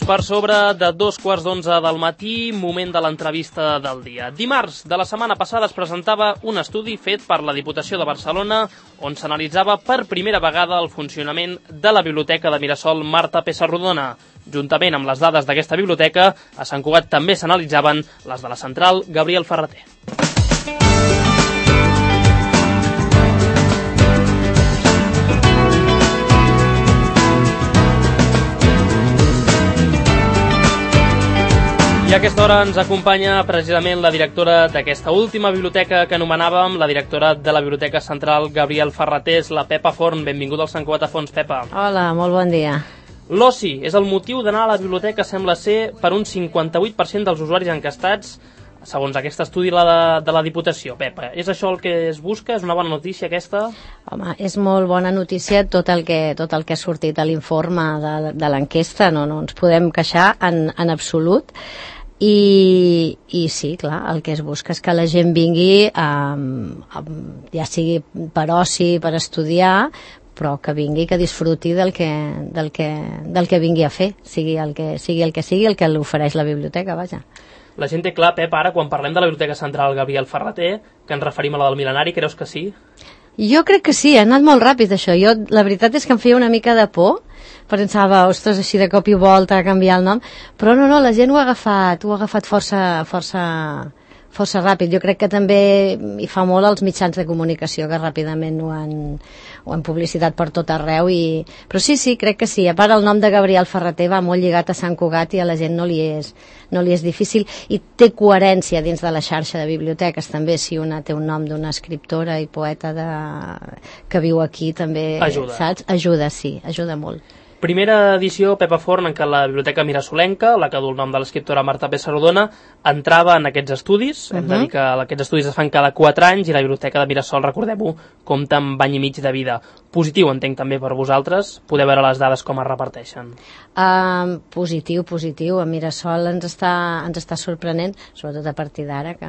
Per sobre de 2:15 del matí, moment de l'entrevista del dia. Dimarts de la setmana passada es presentava un estudi fet per la Diputació de Barcelona on s'analitzava per primera vegada el funcionament de la Biblioteca de Mirasol Marta Pessarrodona. Juntament amb les dades d'aquesta biblioteca, a Sant Cugat també s'analitzaven les de la Central Gabriel Ferrater. I a aquesta hora ens acompanya precisament la directora d'aquesta última biblioteca que anomenàvem, la directora de la Biblioteca Central Gabriel Ferrater, la Pepa Forn. Benvinguda al Sant Cugat a Fons, Pepa. Hola, molt bon dia. L'oci és el motiu d'anar a la biblioteca, sembla ser, per un 58% dels usuaris encastats, segons aquest estudi de la Diputació. Pepa, és això el que es busca? És una bona notícia aquesta? Home, és molt bona notícia tot el que ha sortit a l'informe de l'enquesta, no ens podem queixar en absolut. I sí, clar, el que es busca és que la gent vingui, ja sigui per oci, per estudiar, però que vingui, que disfruti del que vingui a fer, sigui el que l'ofereix la biblioteca, vaja. La gent té clar, Pep, ara, quan parlem de la Biblioteca Central Gabriel Ferrater, que ens referim a la del Mil·lenari, creus que sí? Jo crec que sí, ha anat molt ràpid això. La veritat és que em feia una mica de por, pensava, ostres, així de cop i volta a canviar el nom, però no, la gent ho ha agafat força ràpid. Jo crec que també hi fa molt els mitjans de comunicació, que ràpidament ho han publicitat per tot arreu. Però sí, crec que sí. A part, el nom de Gabriel Ferrater va molt lligat a Sant Cugat i a la gent no li és difícil, i té coherència dins de la xarxa de biblioteques també. Si una té un nom d'una escriptora i poeta que viu aquí, també, saps? Ajuda molt. Primera edició, Pepa Forn, en què la Biblioteca Mirasolenca, la que du el nom de l'escriptora Marta Pessarrodona, entrava en aquests estudis. Hem de dir que aquests estudis es fan cada 4 anys i la Biblioteca de Mirasol, recordem-ho, compta amb any i mig de vida. Positiu, entenc, també per vosaltres. Podeu veure les dades com es reparteixen. Positiu. A Mirasol ens està sorprenent, sobretot a partir d'ara, que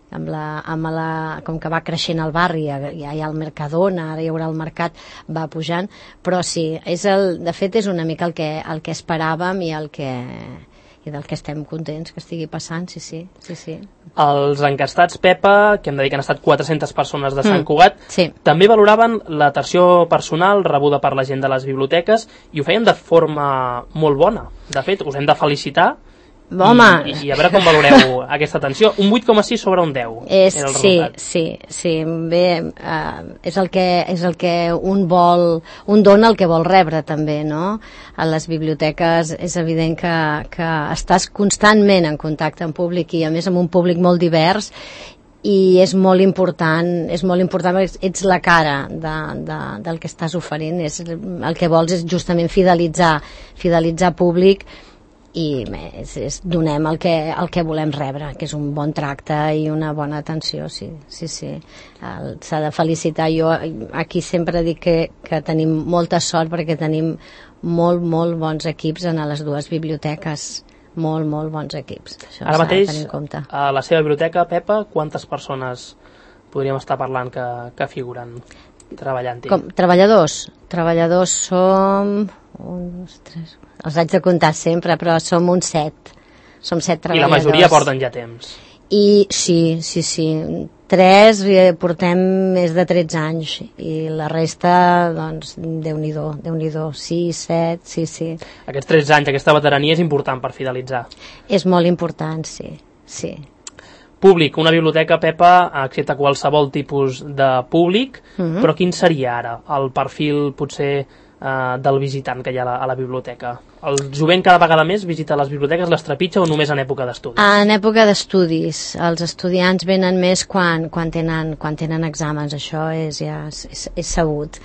com que va creixent el barri, ja hi ha el Mercadona, ara hi haurà el mercat, va pujant, però sí, de fet és una mica el que esperàvem i del que estem contents que estigui passant, sí. Els encastats, Pepa, que hem de dir que han estat 400 persones de Sant Cugat, sí, també valoraven l'atenció personal rebuda per la gent de les biblioteques i ho feien de forma molt bona. De fet, us hem de felicitar. Home. I a veure com valoreu aquesta atenció. Un 8,6 sobre un 10 era el resultat. Sí. Bé, és el que un dona el que vol rebre també, no? A les biblioteques és evident que estàs constantment en contacte amb públic, i a més amb un públic molt divers, i és molt important perquè ets la cara del que estàs oferint. El que vols és justament fidelitzar públic, i donem el que volem rebre, que és un bon tracte i una bona atenció, sí. S'ha de felicitar. Jo aquí sempre dic que tenim molta sort perquè tenim molt bons equips en les dues biblioteques, molt bons equips. Això ara mateix, tenir en compte. A la seva biblioteca, Pepa, quantes persones podríem estar parlant que figuren treballant-hi? Treballadors som 1, 2, 3... Els haig de comptar sempre, però som uns 7. Som 7 treballadors. I la majoria porten ja temps. I sí. 3 portem més de 13 anys, i la resta, doncs, Déu-n'hi-do, 6, 7, sí. Aquests 13 anys, aquesta veterania és important per fidelitzar. És molt important, sí. Públic, una biblioteca, Pepa, accepta qualsevol tipus de públic, però quin seria ara el perfil, potser, del visitant que hi ha a la biblioteca? El jovent cada vegada més visita les biblioteques, les trepitja, o només en època d'estudis? En època d'estudis. Els estudiants venen més quan tenen exàmens, això és sabut.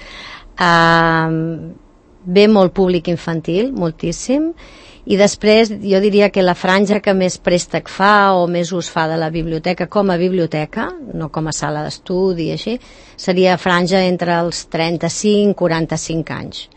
Ve molt públic infantil, moltíssim, i després jo diria que la franja que més préstec fa o més ús fa de la biblioteca com a biblioteca, no com a sala d'estudi, així, seria franja entre els 35 i 45 anys.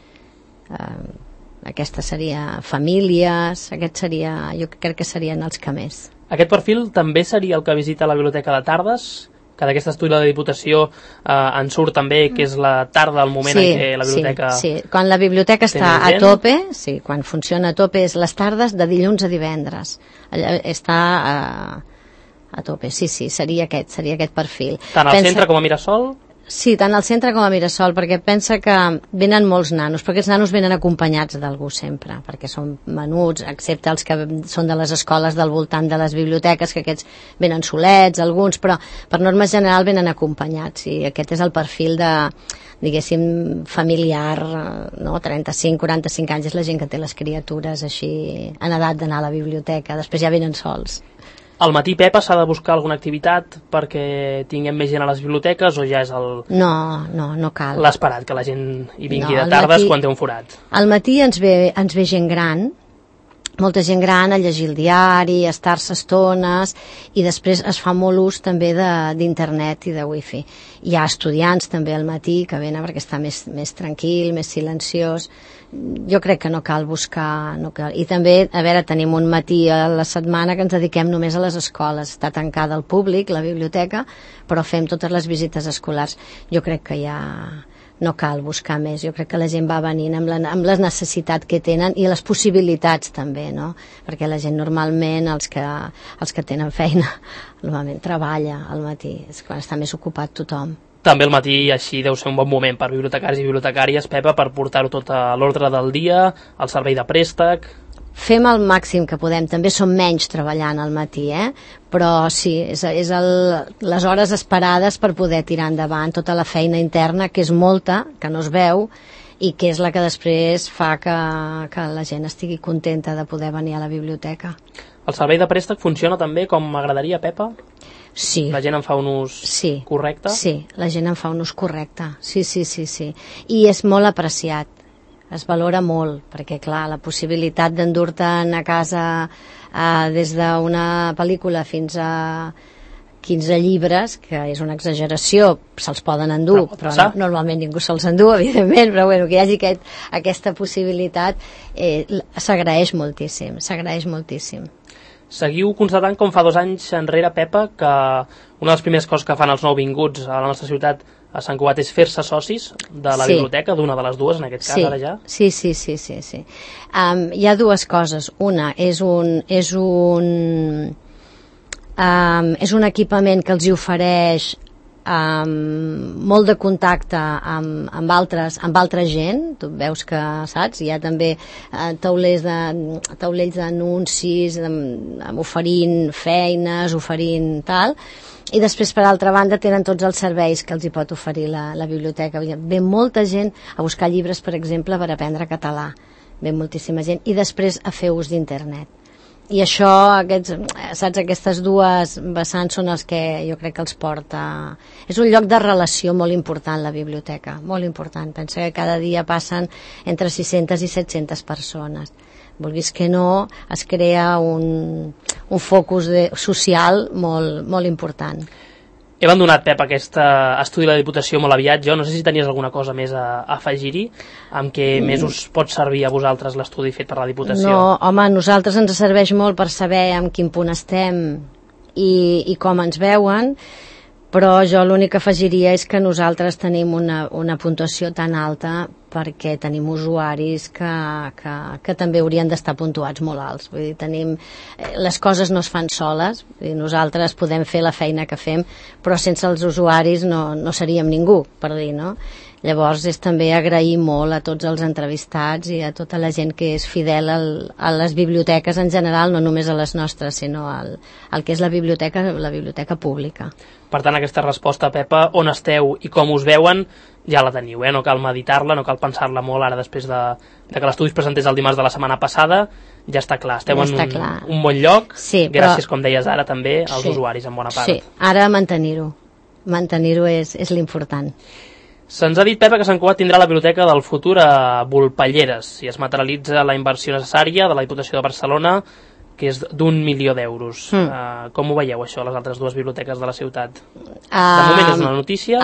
Aquesta seria famílies, jo crec que serien els que més. Aquest perfil també seria el que visita la biblioteca de tardes? que d'aquest estudi de la Diputació en surt també, que és la tarda, el moment en què la biblioteca... Sí, quan la biblioteca està a tope, quan funciona a tope, és les tardes de dilluns a divendres. Està a tope, sí, seria aquest perfil. Tant al centre com a Mirasol? Sí, tant al centre com a Mirasol, perquè pensa que venen molts nanos, però aquests nanos venen acompanyats d'algú sempre, perquè són menuts, excepte els que són de les escoles del voltant de les biblioteques, que aquests venen solets, alguns, però per norma general venen acompanyats, i aquest és el perfil de, diguéssim, familiar, no? 35-45 anys és la gent que té les criatures així en edat d'anar a la biblioteca, després ja venen sols. Al matí, Pepa, s'ha de buscar alguna activitat perquè tinguem més gent a les biblioteques o ja és No cal. L'esperat, que la gent hi vingui de tardes quan té un forat? Al matí ens ve gent gran, molta gent gran a llegir el diari, a estar-se estones, i després es fa molt ús també d'internet i de wifi. Hi ha estudiants també al matí que venen perquè està més tranquil, més silenciós. Jo crec que no cal buscar... I també, a veure, tenim un matí a la setmana que ens dediquem només a les escoles. Està tancada al públic, la biblioteca, però fem totes les visites escolars. Jo crec que ja no cal buscar més. Jo crec que la gent va venint amb la necessitat que tenen i les possibilitats també, no? Perquè la gent normalment, els que tenen feina, normalment treballa al matí. És quan està més ocupat tothom. També al matí així deu ser un bon moment per bibliotecaris i bibliotecàries, Pepa, per portar-ho tot a l'ordre del dia, al servei de préstec... Fem el màxim que podem, també som menys treballant al matí, però sí, és les hores esperades per poder tirar endavant tota la feina interna, que és molta, que no es veu, i que és la que després fa que la gent estigui contenta de poder venir a la biblioteca. El servei de préstec funciona també com m'agradaria, Pepa? Sí. La gent en fa un ús correcte? Sí, la gent en fa un ús correcte, sí. I és molt apreciat, es valora molt, perquè clar, la possibilitat d'endur-te'n a casa des d'una pel·lícula fins a 15 llibres, que és una exageració, se'ls poden endur, però normalment ningú se'ls endú, evidentment, però bueno, que hi hagi aquesta possibilitat s'agraeix moltíssim. Seguiu constatant com fa 2 anys enrere, Pepa, que una de les primeres coses que fan els nouvinguts a la nostra ciutat a Sant Cugat és fer-se socis de la biblioteca, d'una de les dues, en aquest cas, ara ja? Sí. Hi ha dues coses. Una és un equipament que els hi ofereix molt de contacte amb altra gent. Tu veus que, saps, hi ha també taulells d'anuncis oferint feines, oferint tal, i després per altra banda tenen tots els serveis que els hi pot oferir la biblioteca. Ve molta gent a buscar llibres, per exemple, per aprendre català, ve moltíssima gent, i després a fer ús d'internet. I això, aquestes dues vessants són els que jo crec que els porta... És un lloc de relació molt important, la biblioteca, molt important. Pensa que cada dia passen entre 600 i 700 persones. Vulguis que no, es crea un focus social molt important. He abandonat, Pep, aquest estudi de la Diputació molt aviat. Jo no sé si tenies alguna cosa més a afegir-hi, amb què més us pot servir a vosaltres l'estudi fet per la Diputació? No, home, a nosaltres ens serveix molt per saber en quin punt estem i com ens veuen, però jo l'únic que afegiria és que nosaltres tenim una puntuació tan alta perquè tenim usuaris que també haurien d'estar puntuats molt alts. Vull dir, les coses no es fan soles, nosaltres podem fer la feina que fem, però sense els usuaris no seríem ningú, per dir, no? Llavors és també agrair molt a tots els entrevistats i a tota la gent que és fidel a les biblioteques en general, no només a les nostres, sinó al que és la biblioteca pública. Per tant, aquesta resposta, Pepa, on esteu i com us veuen, ja la teniu, no cal meditar-la, no cal pensar-la molt ara després de que l'estudi es presentés el dimarts de la setmana passada, ja està clar, esteu en un bon lloc, gràcies, com deies ara, també als usuaris en bona part. Sí, ara mantenir-ho és l'important. Se'ns ha dit, Pepa, que Sant Cugat tindrà la biblioteca del futur a Volpelleres, si es materialitza la inversió necessària de la Diputació de Barcelona, que és d'1 milió d'euros. Com ho veieu, això, les altres dues biblioteques de la ciutat? De moment és una notícia.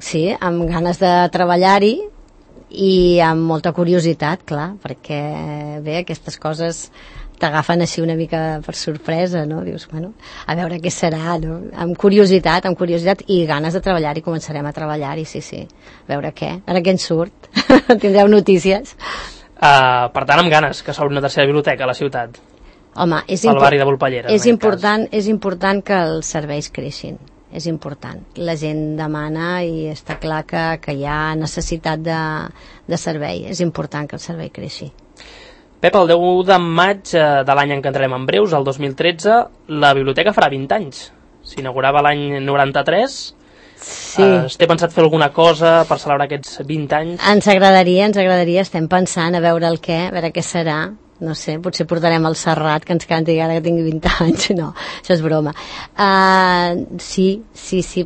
Sí, amb ganes de treballar-hi i amb molta curiositat, clar, perquè bé, aquestes coses t'agafen així una mica per sorpresa, no? Dius, bueno, a veure què serà, no? Amb curiositat i ganes de treballar-hi, començarem a treballar-hi, sí. A veure què ens surt. Tindreu notícies. Per tant, amb ganes que s'obri una tercera biblioteca a la ciutat. Home, al barri de Volpellera. És important que els serveis creixin. És important. La gent demana i està clar que hi ha necessitat de servei. És important que el servei creixi. Pep, el 10 de maig de l'any en què entrem en breus, el 2013, la biblioteca farà 20 anys. S'inaugurava l'any 93. Sí. Té pensat fer alguna cosa per celebrar aquests 20 anys? Ens agradaria, estem pensant a veure a veure què serà. No sé, potser portarem el Serrat que ens canti ara que tingui 20 anys. No, això és broma. Sí,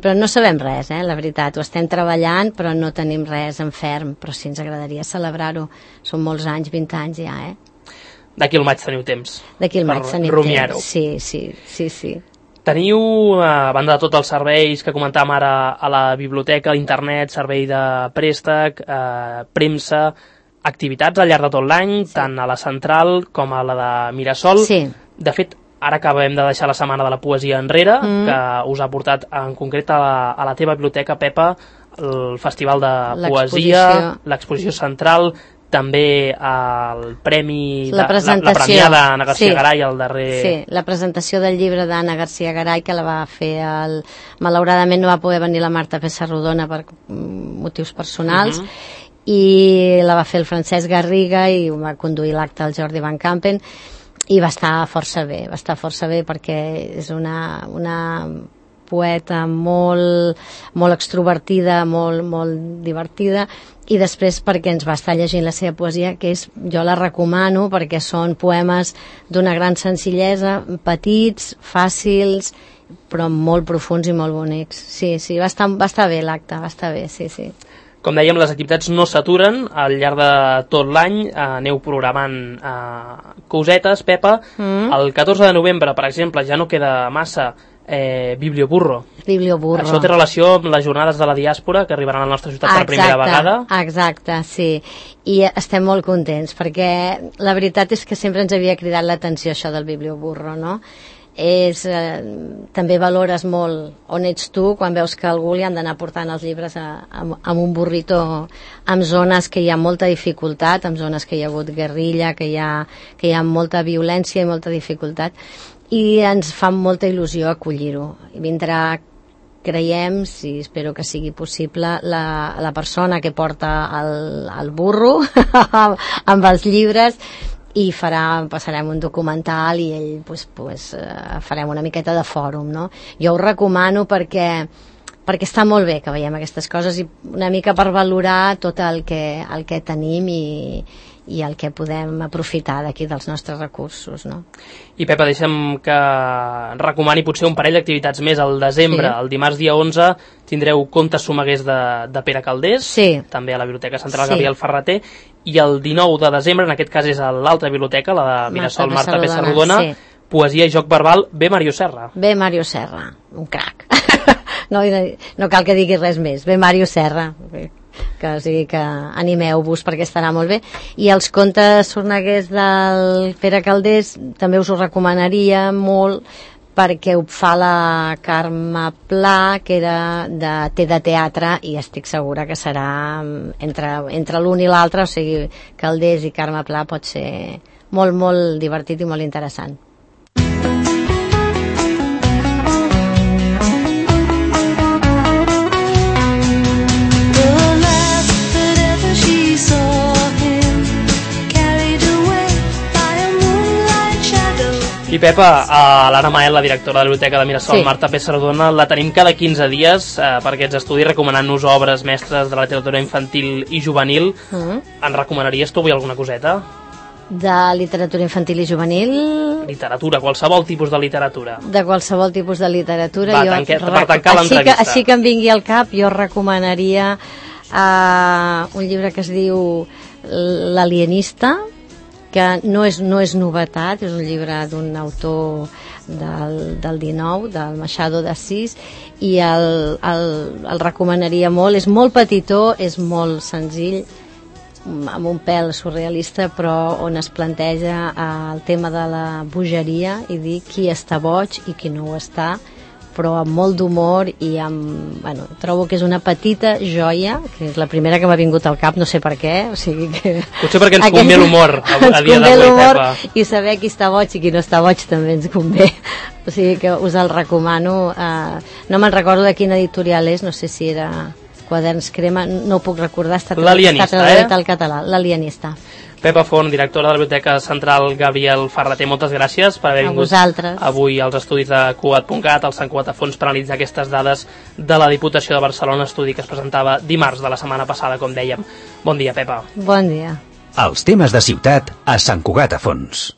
però no sabem res, la veritat. Ho estem treballant, però no tenim res en ferm. Però sí, ens agradaria celebrar-ho. Són molts anys, 20 anys ja, D'aquí al maig teniu temps. D'aquí al maig tenim rumiar-ho. Temps. Sí. Teniu, a banda de tots els serveis que comentàvem ara a la biblioteca, internet, servei de préstec, premsa, activitats al llarg de tot l'any, tant a la central com a la de Mirasol. Sí. De fet, ara acabem de deixar la setmana de la poesia enrere, que us ha portat en concret a la teva biblioteca, Pepa, el Festival de Poesia, l'exposició central, també el premi, la premiada Anna García Garay al darrer... Sí, la presentació del llibre d'Anna García Garay, que la va fer malauradament no va poder venir la Marta Pessarrodona per motius personals, i la va fer el Francesc Garriga i va conduir l'acte el Jordi Van Campen, i va estar força bé perquè és una poeta molt extrovertida, molt divertida, i després perquè ens va estar llegint la seva poesia, que jo la recomano perquè són poemes d'una gran senzillesa, petits, fàcils, però molt profuns i molt bonics. Sí, va estar bé l'acte, va estar bé, sí. Com dèiem, les activitats no s'aturen al llarg de tot l'any, aneu programant cosetes, Pepa. El 14 de novembre, per exemple, ja no queda massa, Biblioburro. Això té relació amb les jornades de la diàspora que arribaran a la nostra ciutat per primera vegada. Exacte, sí. I estem molt contents, perquè la veritat és que sempre ens havia cridat l'atenció això del Biblioburro, no? També valores molt on ets tu quan veus que algú li han d'anar portant els llibres amb un burrito, en zones que hi ha molta dificultat, en zones que hi ha hagut guerrilla, que hi ha molta violència i molta dificultat, i ens fa molta il·lusió acollir-ho. Vindrà, creiem, si espero que sigui possible, la persona que porta el burro amb els llibres, i passarem un documental i ell farem una miqueta de fòrum, no? Jo ho recomano perquè està molt bé que veiem aquestes coses i una mica per valorar tot el que tenim i el que podem aprofitar d'aquí dels nostres recursos, no? I Pepa, deixa'm que recomani potser un parell d'activitats més al desembre. El dimarts dia 11 tindreu Contes Someguers de Pere Calders, també a la Biblioteca Central Gabriel Ferrater, i el 19 de desembre, en aquest cas és a l'altra biblioteca, la de Mirasol Marta Pessarrodona, poesia i joc verbal, ve Mario Serra. Ve Mario Serra, un crac. No cal que digui res més, ve Mario Serra, que animeu-vos perquè estarà molt bé. I els contes sorneguers del Pere Calders també us ho recomanaria molt, perquè ho fa la Carme Pla, que era de teatre, i estic segura que serà entre l'un i l'altre, o sigui, Calders i Carme Pla pot ser molt, molt divertit i molt interessant. I Pepa, l'Anna Mael, la directora de la Biblioteca de Mirasol, Marta Pessarrodona, la tenim cada 15 dies per aquests estudis recomanant-nos obres mestres de la literatura infantil i juvenil. En recomanaries tu avui alguna coseta? De literatura infantil i juvenil? Literatura, qualsevol tipus de literatura. De qualsevol tipus de literatura. Per tancar l'entrevista. Així que em vingui al cap, jo recomanaria un llibre que es diu L'alienista, que no és novetat, és un llibre d'un autor del 19, del Machado d'Assís, i el recomanaria molt. És molt petitó, és molt senzill amb un pèl surrealista, però on es planteja el tema de la bogeria i dir qui està boig i qui no ho està, però amb molt d'humor i amb... Bueno, trobo que és una petita joia, que és la primera que m'ha vingut al cap, no sé per què, o sigui que... Potser perquè ens convé l'humor a dia d'avui, Pepa. I saber qui està boig i qui no està boig també ens convé. O sigui que us el recomano. No me'n recordo de quina editorial és, no sé si era Quaderns Crema, no ho puc recordar, està traduït al català, L'Alienista. Pepa Font, directora de la Biblioteca Central Gabriel Ferrater, moltes gràcies per haver vingut avui als estudis de Cugat.cat, al Sant Cugat a Fons, per analitzar aquestes dades de la Diputació de Barcelona, estudi que es presentava dimarts de la setmana passada, com dèiem. Bon dia, Pepa. Bon dia. Els temes de ciutat a Sant Cugat a Fons.